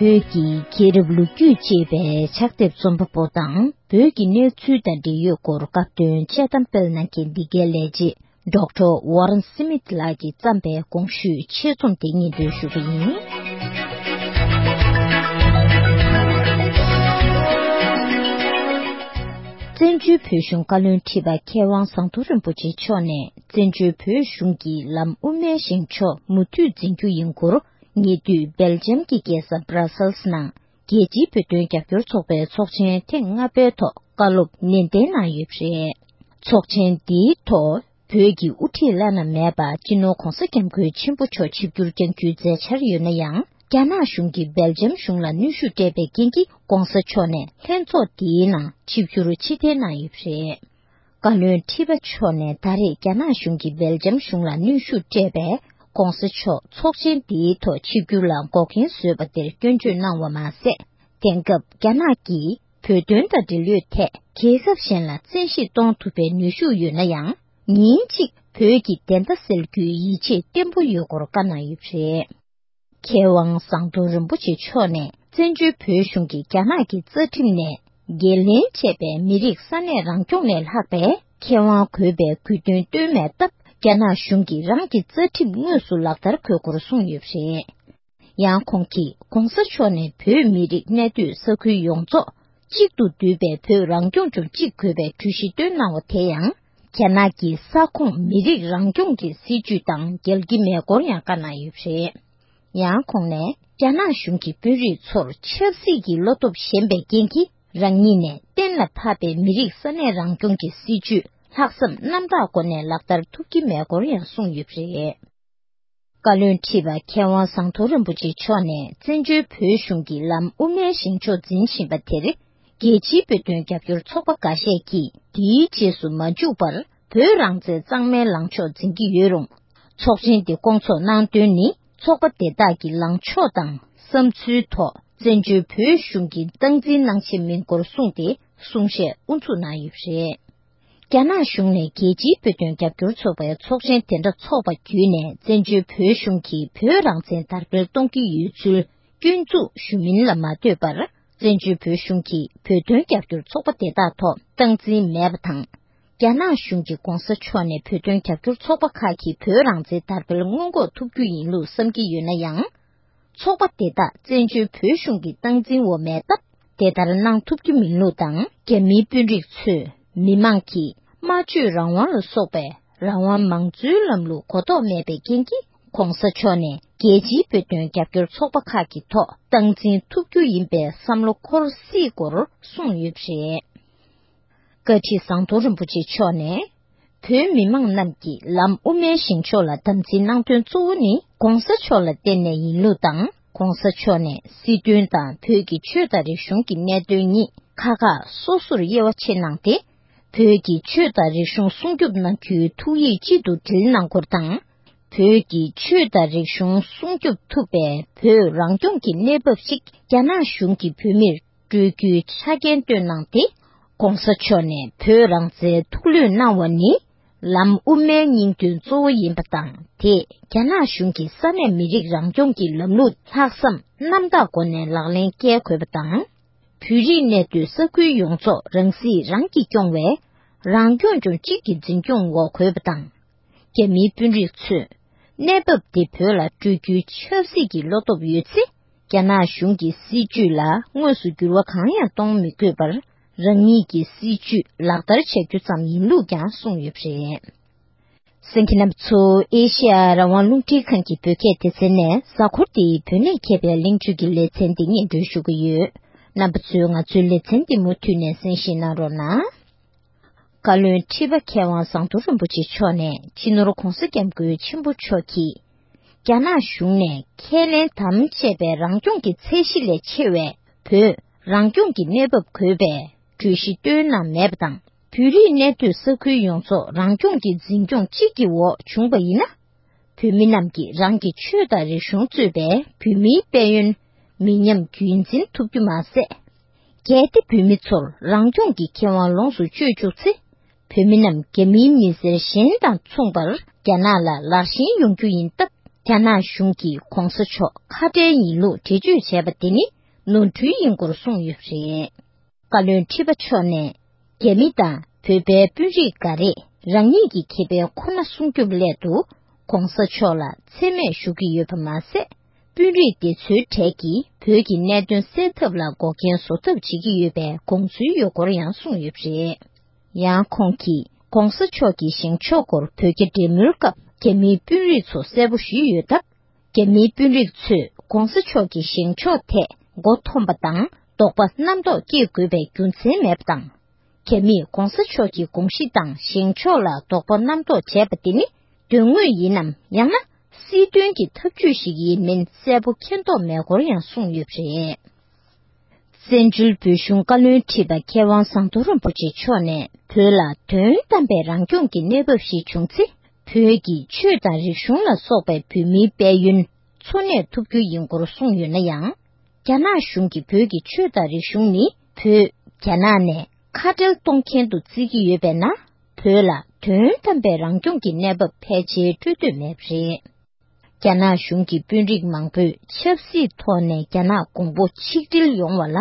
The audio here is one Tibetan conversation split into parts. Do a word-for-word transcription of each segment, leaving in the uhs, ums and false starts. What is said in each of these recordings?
བོད་ཀྱི་རྒྱལ་རབས་ལོ་རྒྱུས་ཅེས་པའི་ཕྱག་དེབ་རྩོམ་པ་པོ་དང་། བོད་ཀྱི་གནས་ཚུལ་དང་འབྲེལ་ཡོད་སྐོར་སྐབས་དོན་དཔྱད་གཏམ་སྤེལ་གནང་མཁན་འདི་གའི་ལས་བྱེད་ཌོག་ཊར་ཝོ་རན་སི་མིད་ལགས་ཀྱིས་བརྩམས་པའི་གོང་ཞུས་ཆེད་རྩོམ་དེ་སྙན་སྒྲོན་ཞུ་གི་ཡིན། བཙན་བྱོལ་བོད་གཞུང་བཀའ་བློན་ཁྲི་པ་མཁས་དབང་ཟམ་གདོང་རིན་པོ་ཆེ་མཆོག་ནས་བཙན་བྱོལ་བོད་གཞུང་གི་ལམ་དབུ་མའི་བཞེངས་ཕྱོགས་མུ་མཐུད་འཛིན་རྒྱུ་ཡིན་སྐོར། ཉེ་དུས་སྦེལ་ཇམ་གྱི་རྒྱལ་ས་བྷ་ར་སེལ་སི་ནང་རྒྱལ་སྤྱིའི་བོད་དོན་རྒྱབ་སྐྱོར་ཚོགས་པའི་ཚོགས་ཆེན་ཐེངས་ལྔ་པའི་ཐོག་བཀའ་སློབ་ནན་ཏན་གནང་ཡོད་པ་རེད། ཚོགས་ཆེན་འདིའི་ཐོག་བོད་ཀྱི་དབུ་ཁྲིད་བླ་ན་མེད་པ་སྤྱི་ནོར་༧གོང་ས་༧སྐྱབས་མགོན་ཆེན་པོ་མཆོག་ཆིབས་བསྒྱུར་བསྐྱང་རྒྱུའི་མཛད་འཆར་ཡོད་ན་ཡང་། རྒྱ་ནག་གཞུང་གིས་སྦེལ་ཇམ་གཞུང་ལ་གནོན་ཤུགས་སྤྲད་པའི་རྐྱེན་གྱིས། ༸གོང་ས་མཆོག་ནས་ལྷན་ཚོགས་འདིའི་ནང་ཆིབས་བསྒྱུར་ཕྱིར་འཐེན་གནང་ཡོད་པ་རེད། བཀའ་བློན་ཁྲི་པ་མཆོག་ནས་ད་རེས་རྒྱ་ནག་གཞུང་གིས་སྦེལ་ཇམ་གཞུང་ལ་གནོན་ཤུགས་སྤྲད་པས། ༸གོང་ས་མཆོག་ཚོགས་ཆེན་འདིའི་ཐོག་ཆིབས་བསྒྱུར་ལ་འགོག་རྐྱེན་བཟོས་པ་དེར་སྐྱོན་བརྗོད་གནང་བ་མ་ཟད། དེང་སྐབས་རྒྱ་ནག་གིས་བོད་དོན་དང་འབྲེལ་ཡོད་ཐད་རྒྱལ་ཁབ་གཞན་ལ་བཙན་ཤེད་གཏོང་ཐུབ་པའི་ནུས་ཤུགས་ཡོད་ན་ཡང་། ཉིན་གཅིག་བོད་ཀྱི་བདེན་མཐའ་སེལ་རྒྱུའི་ཡིད་ཆེས་བརྟན་པོ་ཡོད་སྐོར་བཀའ་གནང་ཡོད་པ་རེད། མཁས་དབང་ཟམ་གདོང་རིན་པོ་ཆེ་མཆོག་ནས་བཙན་བྱོལ་བོད་གཞུང་གིས་རྒྱ་ནག་གི་རྩ་ཁྲིམས་ནས་འགན་ལེན་བྱས་པའི་མི་རིགས་ས་གནས་རང་སྐྱོང་ལས་ལྷག་པའི་ཁེ་དབང་དགོས་པའི་དགོས་འདུན་བཏོན་མེད་སྟབས། རྒྱ་ནག་གཞུང་གིས་རང་གི་རྩ་ཁྲིམས་དངོས་སུ་ལག་བསྟར་དགོས་སྐོར་གསུངས་ཡོད་པ་རེད། ཡང་ཁོང་གིས་༸གོང་ས་མཆོག་ནས་བོད་མི་རིགས་གནས་སྡོད་ས་ཁུལ་ཡོངས་རྫོགས་གཅིག་ཏུ་འདུས་པའི་བོད་རང་སྐྱོང་ལྗོངས་གཅིག་དགོས་པའི་གྲོས་གཞི་བཏོན་གནང་བ་དེ་ཡང་། རྒྱ་ནག་གི་ས་ཁོངས་མི་རིགས་རང་སྐྱོང་གི་སྲིད་ཇུས་དང་འགལ་གྱི་མེད་སྐོར་ཡང་བཀའ་གནང་ཡོད་པ་རེད། ཡང་ཁོང་ནས་རྒྱ་ནག་གཞུང་གིས་དཔོན་རིགས་ཚོར་ཆབ་སྲིད་ཀྱི་བློ་སྟོབས་ཞན་པའི་རྐྱེན་གྱིས། རང་ཉིད་ནས་གཏན་ལ་ཕབ་པའི་མི་རིགས་ས་གནས་རང་སྐྱོང་གི་སྲིད་ཇུས་ལྷག་བསམ་རྣམ་དག་སྒོ་ནས་ལག་བསྟར་ཐུབ་ཀྱི་མེད་སྐོར་ཡང་གསུངས་ཡོད་པ་རེད། བཀའ་བློན་ཁྲི་པ་མཁས་དབང་ཟམ་གདོང་རིན་པོ་ཆེ་མཆོག་ནས་བཙན་བྱོལ་བོད་གཞུང་གི་ལམ་དབུ་མའི་བཞེངས་ཕྱོགས་འཛིན་བཞིན་པ་དེར། རྒྱལ་སྤྱིའི་བོད་དོན་རྒྱབ་སྐྱོར་ཚོགས་པ་འགའ་ཤས་ཀྱིས་འདིའི་རྗེས་སུ་མ་འཇུག་པར། བོད་རང་བཙན་གཙང་མའི་ལངས་ཕྱོགས་འཛིན་གྱི་ཡོད་རུང་། ཚོགས་ཆེན་འདི་སྐོང་ཚོགས་གནང་དོན་ནི། ཚོགས་པ་དེ་དག་གི་ལངས་ཕྱོགས་དང་བསམ་ཚུལ་ཐོག་བཙན་བྱོལ་བོད་གཞུང་གིས་སྟངས་འཛིན་གནང་ཆེད་མིན་སྐོར་གསུངས་ཏེ། གསུང་བཤད་དབུ་འཛུགས་གནང་ཡོད་པ་རེད། རྒྱ་ནག་གཞུང་ནས་རྒྱལ་སྤྱིའི་བོད་དོན་རྒྱབ་སྐྱོར་ཚོགས་པའི་ཚོགས་ཆེན་དེ་འདྲ་འཚོགས་པ་བརྒྱུད་ནས། བཙན་བྱོལ་བོད་གཞུང་གིས་བོད་རང་བཙན་དར་སྤེལ་གཏོང་གི་ཡོད་ཚུལ་སྐྱོན་འཛུགས་ཞུ་མིན་ལ་མ་ལྟོས་པར། བཙན་བྱོལ་བོད་གཞུང་གིས་བོད་དོན་རྒྱབ་སྐྱོར་ཚོགས་པ་དེ་དག་ཐོག་སྟངས་འཛིན་མེད་པ་དང་། རྒྱ་ནག་གཞུང་གིས་༸གོང་ས་མཆོག་ནས་བོད་དོན་རྒྱབ་སྐྱོར་ཚོགས་པ་ཁག་གིས་བོད་རང་བཙན་དར་སྤེལ་སྔོན་འགོག་ཐུབ་རྒྱུ་ཡིན་ལུགས་བསམ་གྱི་ཡོད་ན་ཡང་། ཚོགས་པ་དེ་དག་བཙན་བྱོལ་བོད་གཞུང་གི་སྟངས་འཛིན་འོག་མེད་སྟབས། དེ་ལྟར་གནང་ཐུབ་ཀྱི་མིན་ལུགས་དང་། རྒྱ་མིའི་དཔོན་རིགས་ཚོས་མི་མང་གི་སྨྲ་བརྗོད་རང་དབང་ལ་སོགས་པའི་རང་དབང་མང་གཙོའི་ལམ་ལུགས་གོ་རྟོགས་མེད་པའི་རྐྱེན་གྱིས། ༸གོང་ས་མཆོག་ནས་རྒྱལ་སྤྱིའི་བོད་དོན་རྒྱབ་སྐྱོར་ཚོགས་པ་ཁག་གི་ཐོག་སྟངས་འཛིན་ཐུབ་རྒྱུ་ཡིན་པའི་བསམ་བློ་འཁོར་སྲིད་སྐོར་གསུངས་ཡོད་པ་རེད། བཀའ་ཁྲི་ཟམ་གདོང་རིན་པོ་ཆེ་མཆོག་ནས། བོད་མི་མང་རྣམས་ཀྱིས་ལམ་དབུ་མའི་བཞེངས་ཕྱོགས་ལ་དམ་འཛིན་གནང་དོན་གཙོ་བོ་ནི། ༸གོང་ས་མཆོག་ལ་བརྟེན་ནས་ཡིན་ལུགས་དང་། ༸གོང་ས་མཆོག་ནས་སྲིད་དོན་དང་བོད་ཀྱི་ཆོས་དང་རིག་གཞུང་གི་གནད་དོན་གཉིས་ཁག་ཁག་སོ་སོར་དབྱེ་བ་ཕྱེ་གནང་སྟེ། བོད་ཀྱི་ཆོས་དང་རིག་གཞུང་སྲུང་སྐྱོབ་གནང་རྒྱུའི་ཐུགས་ཡིད་གཅིག་ཏུ་དྲིལ་གནང་སྐོར་དང་། བོད་ཀྱི་ཆོས་དང་རིག་གཞུང་སྲུང་སྐྱོབ་ཐུབ་པའི་བོད་རང་སྐྱོང་གི་གནས་བབ་ཞིག་རྒྱ་ནག་གཞུང་གིས་བོད་མིར་སྤྲོད་རྒྱུའི་ཆ་རྐྱེན་བཏོན་གནང་སྟེ། ༸གོང་ས་མཆོག་ནས་བོད་རང་བཙན་ཐུགས་ལྷོད་གནང་བ་ནི། ལམ་དབུ་མའི་སྙིང་དོན་གཙོ་བོ་ཡིན་པ་དང་། དེས་རྒྱ་ནག་གཞུང་གིས་ས་གནས་མི་རིགས་རང་སྐྱོང་གི་ལམ་ལུགས་ལྷག་བསམ་རྣམ་དག་སྒོ་ནས་ལག་ལེན་བཀལ་དགོས་པ་དང་། བོད་རིགས་གནས་སྡོད་ས་ཁུལ་ཡོངས་རྫོགས་རང་སྲིད་རང་གིས་སྐྱོང་བའི་རང་སྐྱོང་ལྗོངས་གཅིག་གི་འཛིན་སྐྱོང་འོག་དགོས་པ་དང་། རྒྱ་མིའི་དཔོན་རིགས་ཚོས་གནས་བབ་དེ་བོད་ལ་སྤྲོད་རྒྱུའི་ཆབ་སྲིད་ཀྱི་བློ་སྟོབས་ཡོད་ཚེ། རྒྱ་ནག་གཞུང་གི་སྲིད་ཇུས་ལ་དངོས་སུ་འགྱུར་བ་གང་ཡང་གཏོང་མི་དགོས་པར། རང་ཉིད་ཀྱི་སྲིད་ཇུས་ལག་བསྟར་བྱ་རྒྱུ་ཙམ་ཡིན་ལུགས་ཀྱང་གསུངས་ཡོད་པ་རེད། གསན་མཁན་རྣམ་པ་ཚོ། ཨེ་ཤེ་ཡ་རང་དབང་རླུང་འཕྲིན་ཁང་གི་བོད་སྐད་སྡེ་ཚན་ནས་གཟའ་འཁོར་འདིའི་བོད་ནས་མཁས་པའི་གླེང་བརྗོད་ཀྱི་ལེ་ཚན་འདི་སྙན་སྒྲོན་ཞུ་གི་ཡོད། རྣམ་པ་ཚོས་ང་ཚོའི་ལེ་ཚན་འདི་མུ་མཐུད་ནས་གསན་བཞེས་གནང་རོགས་གནང་། བཀའ་བློན་ཁྲི་པ་མཁས་དབང་ཟམ་གདོང་རིན་པོ་ཆེ་མཆོག་ནས་སྤྱི་ནོར་༸གོང་ས་༸སྐྱབས་མགོན་ཆེན་པོ་མཆོག་གིས། རྒྱ་ནག་གཞུང་ནས་ཁས་ལེན་དམ་བཅས་པའི་རང་སྐྱོང་གི་ཚད་གཞི་ལས་ཆེ་བའི་བོད་རང་སྐྱོང་གི་གནས་བབ་དགོས་པའི་གྲོས་གཞི་བཏོན་གནང་མེད་པ་དང་། བོད་རིགས་གནས་སྡོད་ས་ཁུལ་ཡོངས་རྫོགས་རང་སྐྱོང་གི་འཛིན་སྐྱོང་གཅིག་གི་འོག་བྱུང་བ་ཡིན་ན། བོད་མི་རྣམས་ཀྱིས་རང་གི་ཆོས་དང་རིག་གཞུང་གཙོས་པའི་བོད་མིའི་དཔལ་ཡོན་མི་ཉམས་རྒྱུན་འཛིན་ཐུབ་རྒྱུ་མ་ཟད། གལ་ཏེ་བོད་མི་ཚོར་རང་སྐྱོང་གི་ཁེ་དབང་ལོངས་སུ་སྤྱོད་བཅུག་ཚེ། བོད་མི་རྣམས་རྒྱ་མིའི་མི་སེར་གཞན་དང་མཚུངས་པར་རྒྱ་ནག་ལ་ལར་ཞེན་ཡོང་རྒྱུ་ཡིན་སྟབས། རྒྱ་ནག་གཞུང་གིས་༧གོང་ས་མཆོག་ཁ་བྲལ་ཡིན་ལུགས་འགྲེལ་བརྗོད་བྱས་པ་དེ་ནི་ནོར་འཁྲུལ་ཡིན་སྐོར་གསུངས་ཡོད་པ་རེད། བཀའ་བློན་ཁྲི་པ་མཆོག་ནས། རྒྱ་མི་དང་བོད་པའི་དཔོན་རིགས་འགའ་རེས་རང་ཉིད་ཀྱི་ཁེ་ཕན་ཁོ་ན་སྲུང་སྐྱོབ་སླད་དུ་༧གོང་ས་མཆོག་ལ་མཚན་སྨད་ཞུ་གི་ཡོད་པ་མ་ཟད། དཔོན་རིགས་དེ་ཚོའི་གྲས་ཀྱིས་བོད་ཀྱི་གནད་དོན་སེལ་ཐབས་ལ་འགོག་རྐྱེན་བཟོ་ཐབས་བྱེད་ཀྱི་ཡོད་པའི་དགོངས་ཚུལ་ཡོད་སྐོར་ཡང་གསུངས་ཡོད་པ་རེད། ཡང་ཁོང་གིས་༧གོང་ས་མཆོག་གི་བཞེངས་ཕྱོགས་སྐོར་བོད་རྒྱ་འབྲེལ་མོལ་སྐབས་རྒྱ་མིའི་དཔོན་རིགས་ཚོ་གསལ་པོ་ཞུས་ཡོད་སྟབས། རྒྱ་མིའི་དཔོན་རིགས་ཚོས་༧གོང་ས་མཆོག་གི་བཞེངས་ཕྱོགས་ཐད་མགོ་འཐོམས་པ་དང་དོགས་པ་རྣམ་རྟོག་སྐྱེ་དགོས་པའི་རྒྱུ་མཚན་མེད་པ་དང་། རྒྱ་མིས་༧གོང་ས་མཆོག་གི་དགོངས་གཞི་དང་བཞེངས་ཕྱོགས་ལ་དོགས་པ་རྣམ་རྟོག་བྱས་པ་དེ་ནི་དོན་དངོས་ཡིན་ནམ་ཡང་ན་སྲིད་དོན་གྱི་ཐབས་ཇུས་ཤིག་ཡིན་མིན་གསལ་པོ་མཁྱེན་རྟོགས་མེད་སྐོར་ཡང་གསུངས་ཡོད་པ་རེད། བཙན་བྱོལ་བོད་གཞུང་བཀའ་བློན་ཁྲི་པ་མཁས་དབང་ཟམ་གདོང་རིན་པོ་ཆེ་མཆོག་ནས་བོད་ལ་དོན་དམ་པའི་རང་སྐྱོང་གི་གནས་བབ་ཞིག་བྱུང་ཚེ། བོད་ཀྱི་ཆོས་དང་རིག་གཞུང་ལ་སོགས་པའི་བོད་མིའི་དཔལ་ཡོན་འཚོ་གནས་ཐུབ་རྒྱུ་ཡིན་སྐོར་གསུངས་ཡོད་ན་ཡང་། རྒྱ་ནག་གཞུང་གིས་བོད་ཀྱི་ཆོས་དང་རིག་གཞུང་ནི་བོད་རྒྱ་ནག་ནས་ཁ་བྲལ་གཏོང་མཁན་དུ་བརྩི་གི་ཡོད་པས་ན། བོད་ལ་དོན་དམ་པའི་རང་སྐྱོང་གི་གནས་བབ་ཕལ་ཆེར་སྤྲོད་འདོད་མེད་པ་རེད། རྒྱ་ནག་གཞུང་གི་དཔོན་རིགས་མང་པོས་ཆབ་སྲིད་ཐོག་ནས་རྒྱ་ནག་གོང་བུ་ཆིག་སྒྲིལ་ཡོང་བ་ལ་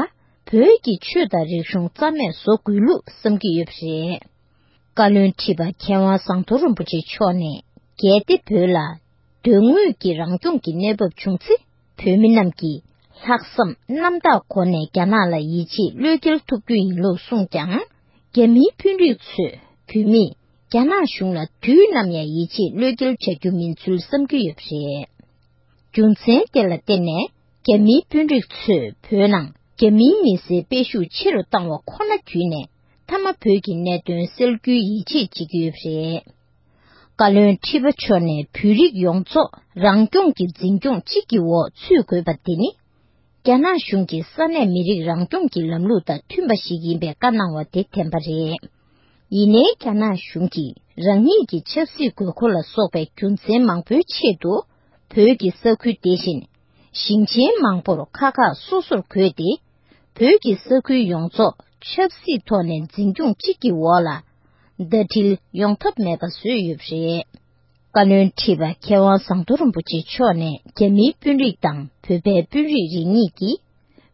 བོད་ཀྱི་ཆོས་དང་རིག་གཞུང་རྩ་མེད་བཟོ་དགོས་ལུགས་བསམ་གྱི་ཡོད་པ་རེད། བཀའ་བློན་ཁྲི་པ་མཁས་དབང་ཟམ་གདོང་རིན་པོ་ཆེ་མཆོག་ནས། གལ་ཏེ་བོད་ལ་དོན་དངོས་ཀྱི་རང་སྐྱོང་གི་གནས་བབ་བྱུང་ཚེ། བོད་མི་རྣམས་ཀྱིས་ལྷག་བསམ་རྣམ་དག་སྒོ་ནས་རྒྱ་ནག་ལ་ཡིད་ཆེས་བློས་འགེལ་ཐུབ་རྒྱུ་ཡིན་ལུགས་གསུངས་ཀྱང་། རྒྱ་མིའི་དཔོན་རིགས་ཚོས་བོད་མིས་རྒྱ་ནག་གཞུང་ལ་དུས་ནམ་ཡང་ཡིད་ཆེས་བློས་འགེལ་བྱ་རྒྱུ་མིན་ཚུལ་བསམ་གྱི་ཡོད་པ་རེད། རྒྱུ་མཚན་དེ་ལ་བརྟེན་ནས་རྒྱ་མིའི་དཔོན་རིགས་ཚོས་བོད་ནང་རྒྱ་མིའི་མི་སེར་སྤེལ་ཤུགས་ཆེ་རུ་བཏང་བ་ཁོ་ན་བརྒྱུད་ནས་མཐའ་མ་བོད་ཀྱི་གནད་དོན་སེལ་རྒྱུའི་ཡིད་ཆེས་བྱེད་ཀྱི་ཡོད་པ་རེད། བཀའ་བློན་ཁྲི་པ་མཆོག་ནས་བོད་རིགས་ཡོངས་རྫོགས་རང་སྐྱོང་གི་འཛིན་སྐྱོང་གཅིག་གི་འོག་ཚུད་དགོས་པ་དེ་ནི། རྒྱ་ནག་གཞུང་གིས་ས་གནས་མི་རིགས་རང་སྐྱོང་གི་ལམ་ལུགས་དང་མཐུན་པ་ཞིག་ཡིན་པའི་བཀའ་གནང་བ་དེ་བདེན་པ་རེད། ཡིན་ནའི་རྒྱ་ནག་གཞུང་གིས་རང་ཉིད་ཀྱི་ཆབ་སྲིད་དགོས་མཁོ་ལ་སོགས་པའི་རྒྱུ་མཚན་མང་པོའི་ཆེད་དུ། བོད་ཀྱི་ས་ཁུལ་དེ་བཞིན་ཞིང་ཆེན་མང་པོར་ཁག་ཁག་སོ་སོར་བགོས་ཏེ། བོད་ཀྱི་ས་ཁུལ་ཡོངས་རྫོགས་ཆབ་སྲིད་ཐོག་ནས་འཛིན་སྐྱོང་གཅིག་གི་འོག་ལ་ཟླ་སྒྲིལ་ཡོང་ཐབས་མེད་པ་བཟོས་ཡོད་པ་རེད། བཀའ་བློན་ཁྲི་པ་མཁས་དབང་ཟམ་གདོང་རིན་པོ་ཆེ་མཆོག་ནས་རྒྱ་མིའི་དཔོན་རིགས་དང་བོད་པའི་དཔོན་རིགས་རེ་གཉིས་ཀྱིས་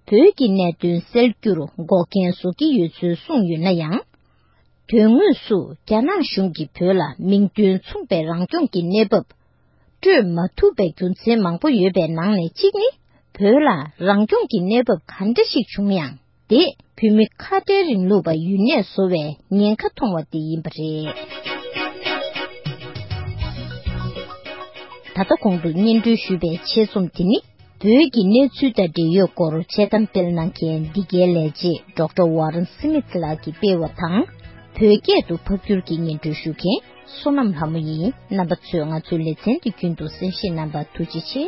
བོད་ཀྱི་གནད་དོན་སེལ་རྒྱུར་འགོག་རྐྱེན་བཟོ་གི་ཡོད་ཚུལ་གསུངས་ཡོད་ན་ཡང་། དོན་དངོས་སུ་རྒྱ་ནག་གཞུང་གིས་བོད་ལ་མིང་དོན་མཚུངས་པའི་རང་སྐྱོང་གི་གནས་བབ་སྤྲོད་མ་ཐུབ་པའི་རྒྱུ་མཚན་མང་པོ་ཡོད་པའི་ནང་ནས་གཅིག་ནི། བོད་ལ་རང་སྐྱོང་གི་གནས་བབ་ག་འདྲ་ཞིག་བྱུང་ཡང་། དེས་བོད་མི་ཁ་བྲལ་རིང་ལུགས་པ་ཡུན་གནས་བཟོ་བའི་ཉེན་ཁ་མཐོང་བ་དེ་ཡིན་པ་རེད། ད་ལྟ་གོང་དུ་སྙན་སྒྲོན་ཞུས་པའི་ཆེད་རྩོམ་དེ་ནི། བོད་ཀྱི་གནས་ཚུལ་དང་འབྲེལ་ཡོད་སྐོར་དཔྱད་གཏམ་སྤེལ་གནང་མཁན་འདི་གའི་ལས་བྱེད་ཌོག་ཊར་ཝ་རན་སི་མིད་ལགས་ཀྱིས་སྤེལ་བ་དང་། བོད་སྐད་དུ་ཕབ་བསྒྱུར་གྱིས་སྙན་སྒྲོན་ཞུ་མཁན་བསོད་ནམས་ལྷ་མོ་ཡིན། རྣམ་པ་ཚོས་ང་ཚོའི་ལེ་ཚན་འདི་རྒྱུན་དུ་གསན་བཞེས་གནང་བར་ཐུགས་རྗེ་ཆེ།